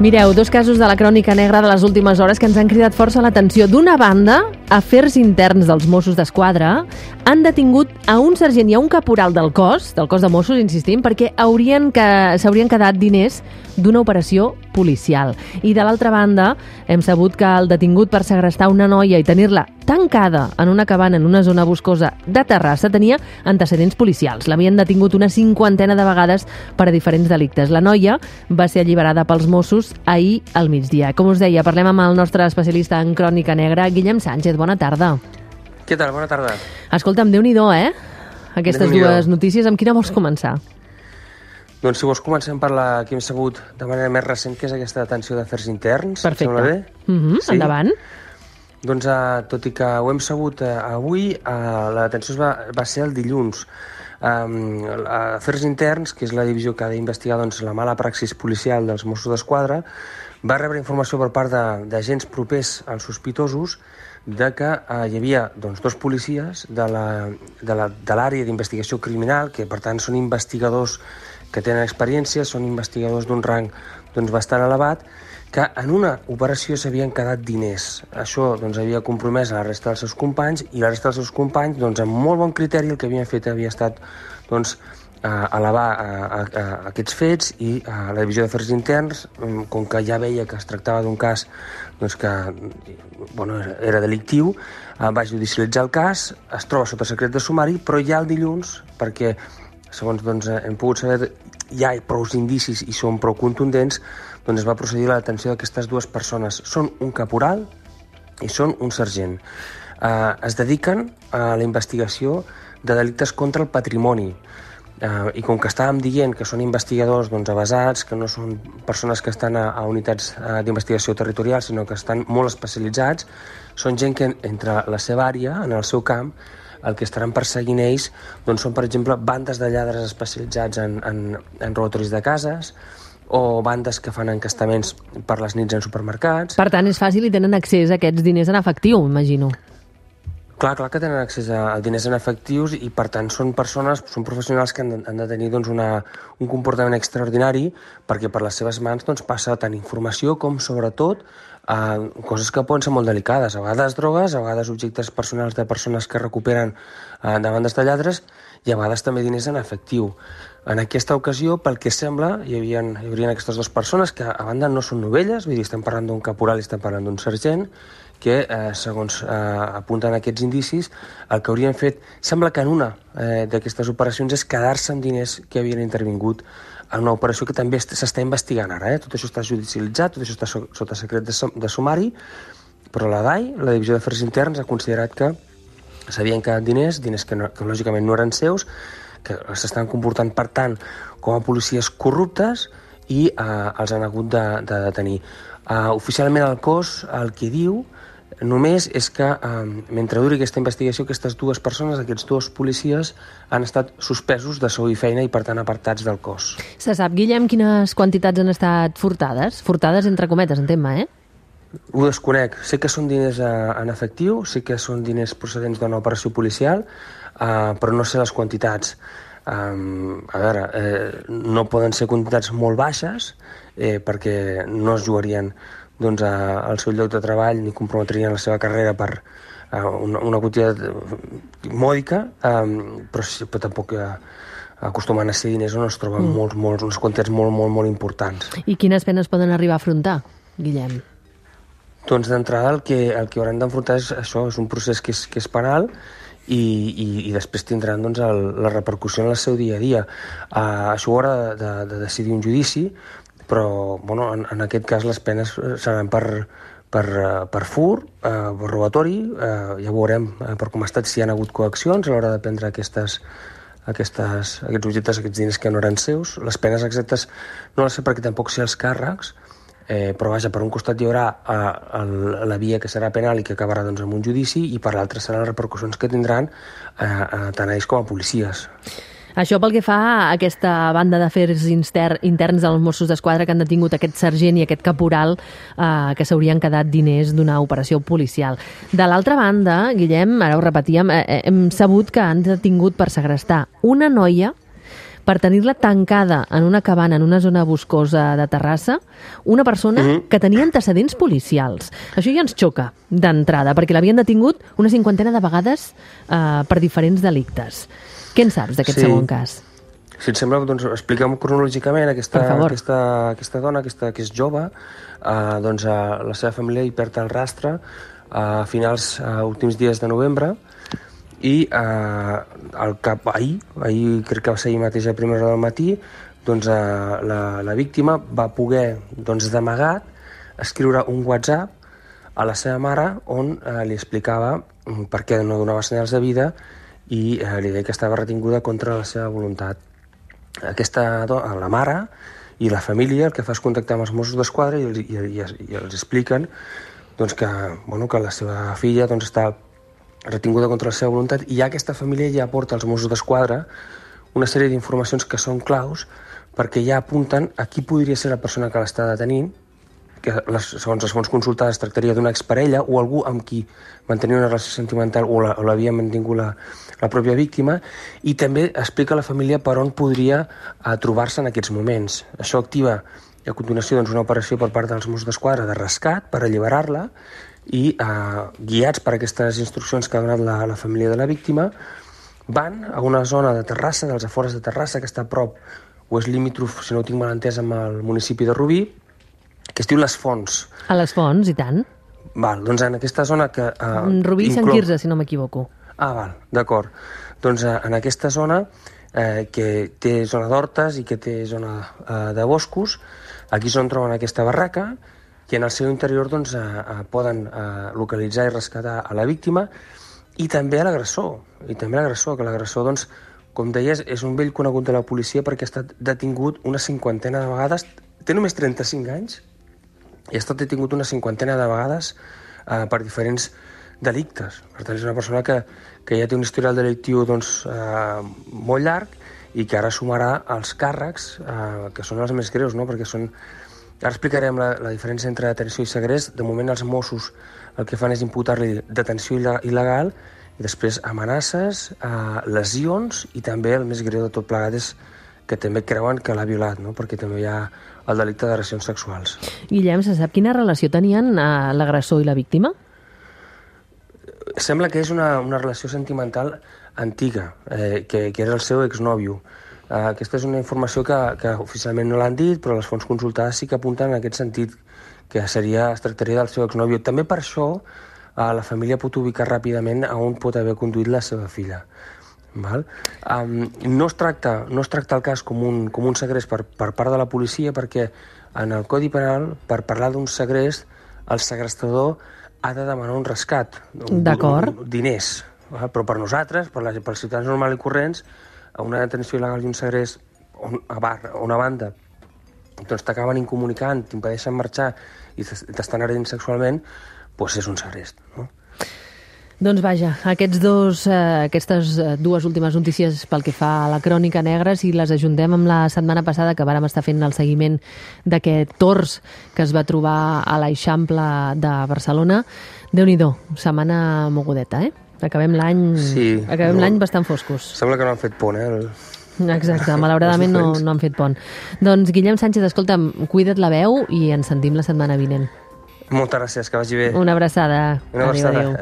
Mireu, dos casos de la crònica negra de les últimes hores que ens han cridat força l'atenció. D'una banda, afers interns dels Mossos d'Esquadra han detingut a un sergent i a un caporal del cos de Mossos, insistim, perquè s'haurien quedat diners d'una operació policial. I de l'altra banda, hem sabut que el detingut per segrestar una noia i tenir-la tancada en una cabana en una zona boscosa de Terrassa tenia antecedents policials. L'havien detingut una 50ena de vegades per a diferents delictes. La noia va ser alliberada pels Mossos ahir al migdia. Com us deia, parlem amb el nostre especialista en crònica negra, Guillem Sánchez. Bona tarda. Què tal? Bona tarda. Escolta'm, Déu-n'hi-do, aquestes dues notícies. Amb quina vols començar? Doncs si vols comencem per la que hem sabut de manera més recent, que és aquesta detenció d'afers interns. Perfecte. Sembla bé? Sí? Endavant. Doncs tot i que ho hem sabut avui, la detenció va ser el dilluns. Afers interns, que és la divisió que ha d'investigar la mala praxis policial dels Mossos d'Esquadra, va rebre informació per part d'agents propers als sospitosos de que hi havia dos policies de l'àrea d'investigació criminal, que per tant són investigadors que tenen experiència, són investigadors d'un rang bastant elevat, que en una operació s'havien quedat diners. Això havia compromès a la resta dels seus companys, i la resta dels seus companys, amb molt bon criteri, el que havien fet havia estat elevar aquests fets, i la divisió d'afers interns, com que ja veia que es tractava d'un cas que era delictiu, va judicialitzar el cas, es troba sota secret de sumari, però ja el dilluns, perquè segons hem pogut saber, hi ha prou indicis i són prou contundents, es va procedir a la detenció d'aquestes dues persones. Són un caporal i són un sergent. Es dediquen a la investigació de delictes contra el patrimoni. I com que estàvem dient que són investigadors avasats, que no són persones que estan a unitats d'investigació territorial, sinó que estan molt especialitzats, són gent que entre la seva àrea, en el seu camp, el que estaran perseguint ells són, per exemple, bandes de lladres especialitzats en robatoris de cases, o bandes que fan encastaments per les nits en supermercats. Per tant, és fàcil i tenen accés a aquests diners en efectiu, imagino. Clar que tenen accés a diners en efectius, i per tant són professionals que han de tenir un comportament extraordinari, perquè per les seves mans passa tant informació com, sobretot, coses que poden ser molt delicades, a vegades drogues, a vegades objectes personals de persones que recuperen de bandes de lladres, i a vegades també diners en efectiu. En aquesta ocasió, pel que sembla, hi haurien aquestes dues persones que a banda no són novelles, vull dir, estem parlant d'un caporal i estem parlant d'un sergent, que, segons apunten aquests indicis, el que haurien fet, sembla que en una d'aquestes operacions, és quedar-se amb diners que havien intervingut en una operació que també s'està investigant ara. Tot això està judicialitzat, tot això està sota secret de sumari, però la DAI, la Divisió d'Afers Interns, ha considerat que s'havien quedat diners que lògicament no eren seus, que s'estan comportant, per tant, com a policies corruptes, i els han hagut de detenir. Oficialment el cos el que diu només és que mentre duri aquesta investigació, aquestes dues persones, aquests dos policies, han estat suspesos de sou i feina i per tant apartats del cos. Se sap, Guillem, quines quantitats han estat furtades? Furtades entre cometes, entenc, Ho desconec. Sé que són diners en efectiu, sé que són diners procedents d'una operació policial, però no sé les quantitats. A veure, no poden ser quantitats molt baixes, perquè no es jugarien al seu lloc de treball ni comprometrien la seva carrera per una quantitat mòdica, però tampoc acostumen a ser diners on es troben unes quantitats molt importants. I quines penes poden arribar a afrontar, Guillem? Doncs d'entrada el que hauran d'enfrontar és això, és un procés que és penal, i després tindran la repercussió en el seu dia a dia. Això ho haurà de decidir un judici, però en aquest cas les penes seran per fur, per robatori, ja veurem per com ha estat, si hi ha hagut coaccions a l'hora de prendre aquests objectes, aquests diners que no eren seus. Les penes exactes no les sé perquè tampoc sé els càrrecs, però vaja, per un costat hi haurà la via que serà penal i que acabarà amb un judici, i per l'altre seran les repercussions que tindran tant a ells com a policies. Això pel que fa a aquesta banda d'afers interns dels Mossos d'Esquadra que han detingut aquest sergent i aquest caporal que s'haurien quedat diners d'una operació policial. De l'altra banda, Guillem, ara ho repetíem, hem sabut que han detingut per segrestar una noia per tenir-la tancada en una cabana en una zona boscosa de Terrassa, una persona que tenia antecedents policials. Això ja ens xoca d'entrada, perquè l'havien detingut una 50ena de vegades per diferents delictes. Què en saps d'aquest segon cas? Si et sembla, doncs expliquem cronològicament aquesta dona, que és jove, doncs la seva família hi perd el rastre a finals, últims dies de novembre, i ahir crec que va ser ahir mateix a primera hora del matí, doncs la víctima va poder, doncs d'amagat, escriure un WhatsApp a la seva mare on li explicava per què no donava senyals de vida i li deia que estava retinguda contra la seva voluntat. La mare i la família el que fa és contactar amb els Mossos d'Esquadra i els expliquen doncs, que la seva filla doncs, està retinguda contra la seva voluntat, i ja aquesta família ja aporta als Mossos d'Esquadra una sèrie d'informacions que són claus perquè ja apunten a qui podria ser la persona que l'està detenint, que segons les fonts consultades tractaria d'una exparella o algú amb qui mantenia una relació sentimental o l'havia mantingut la pròpia víctima, i també explica a la família per on podria trobar-se en aquests moments. Això activa a continuació doncs, una operació per part dels Mossos d'Esquadra de rescat per alliberar-la, i guiats per aquestes instruccions que ha donat la família de la víctima, van a una zona de Terrassa, dels afores de Terrassa, que està a prop, o és limítrof, si no ho tinc mal entès, amb el municipi de Rubí, que es diu Les Fonts. A Les Fonts, i tant. Val, doncs en aquesta zona que... Rubí i Sant Quirze, si no m'equivoco. Val, d'acord. Doncs en aquesta zona, que té zona d'hortes i que té zona de boscos, aquí és on troben aquesta barraca, i en el seu interior doncs, poden localitzar i rescatar a la víctima i també a l'agressor. Que l'agressor, doncs, com deies, és un vell conegut de la policia perquè ha estat detingut una 50ena de vegades. Té només 35 anys i ha estat detingut una 50ena de vegades per diferents delictes. Per tant, és una persona que ja té un historial delictiu doncs, molt llarg i que ara sumarà els càrrecs que són els més greus, no? Perquè són... Ara explicarem la diferència entre detenció i segrest. De moment els Mossos el que fan és imputar-li detenció il·legal i després amenaces, lesions, i també el més greu de tot plegat és que també creuen que l'ha violat, no? Perquè també hi ha el delicte d'agressions sexuals. Guillem, se sap quina relació tenien l'agressor i la víctima? Sembla que és una relació sentimental antiga, que era el seu exnòvio. Aquesta és una informació que oficialment no l'han dit, però les fonts consultades sí que apunten en aquest sentit, que es tractaria del seu exnòvio. També per això la família pot ubicar ràpidament a on pot haver conduït la seva filla. Val? No es tracta el cas com un segrest per part de la policia, perquè en el Codi Penal, per parlar d'un segrest, el segrestador ha de demanar un rescat, diners. Val? Però per nosaltres, pels ciutadans normals i corrents, una detenció il·legal i un segrest a una banda doncs t'acaben incomunicant, t'impedeixen marxar i t'estan agredint sexualment, doncs és un segrest, no? Doncs vaja, aquestes dues últimes notícies pel que fa a la Crònica Negra, si les ajuntem amb la setmana passada que vàrem estar fent el seguiment d'aquest tors que es va trobar a l'Eixample de Barcelona, Déu-n'hi-do, setmana mogudeta, Acabem l'any bastant foscos. Sembla que no han fet pont, Exacte, malauradament no han fet pont. Doncs Guillem Sánchez, escolta'm, cuida't la veu i ens sentim la setmana vinent. Moltes gràcies, que vagi bé. Una abraçada. Adéu.